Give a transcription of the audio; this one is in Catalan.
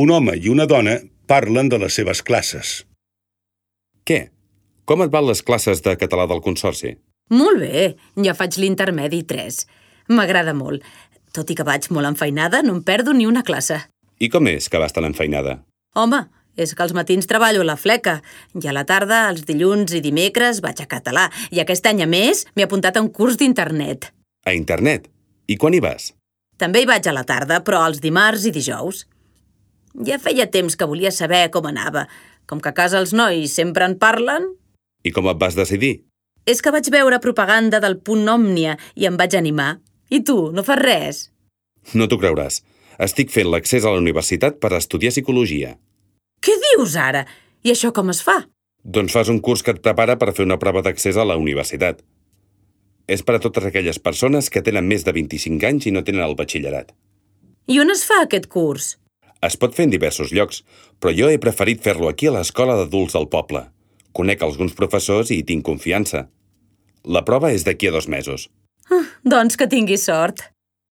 Un home i una dona parlen de les seves classes. Què? Com et van les classes de català del Consorci? Molt bé, ja faig l'intermedi 3. M'agrada molt. Tot i que vaig molt enfeinada, no em perdo ni una classe. I com és que vas tan enfeinada? Home, és que als matins treballo a la fleca i a la tarda, els dilluns i dimecres, vaig a català. I aquest any, a més, m'he apuntat a un curs d'internet. A internet? I quan hi vas? També hi vaig a la tarda, però els dimarts i dijous. Ja feia temps que volia saber com anava. Com que a casa els nois sempre en parlen... I com et vas decidir? És que vaig veure propaganda del Punt Òmnia i em vaig animar. I tu, no fas res? No t'ho creuràs. Estic fent l'accés a la universitat per estudiar psicologia. Què dius ara? I això com es fa? Doncs fas un curs que et prepara per fer una prova d'accés a la universitat. És per a totes aquelles persones que tenen més de 25 anys i no tenen el batxillerat. I on es fa aquest curs? Es pot fer en diversos llocs, però jo he preferit fer-lo aquí a l'escola d'adults del poble. Conec alguns professors i hi tinc confiança. La prova és d'aquí a 2 mesos. Doncs que tinguis sort.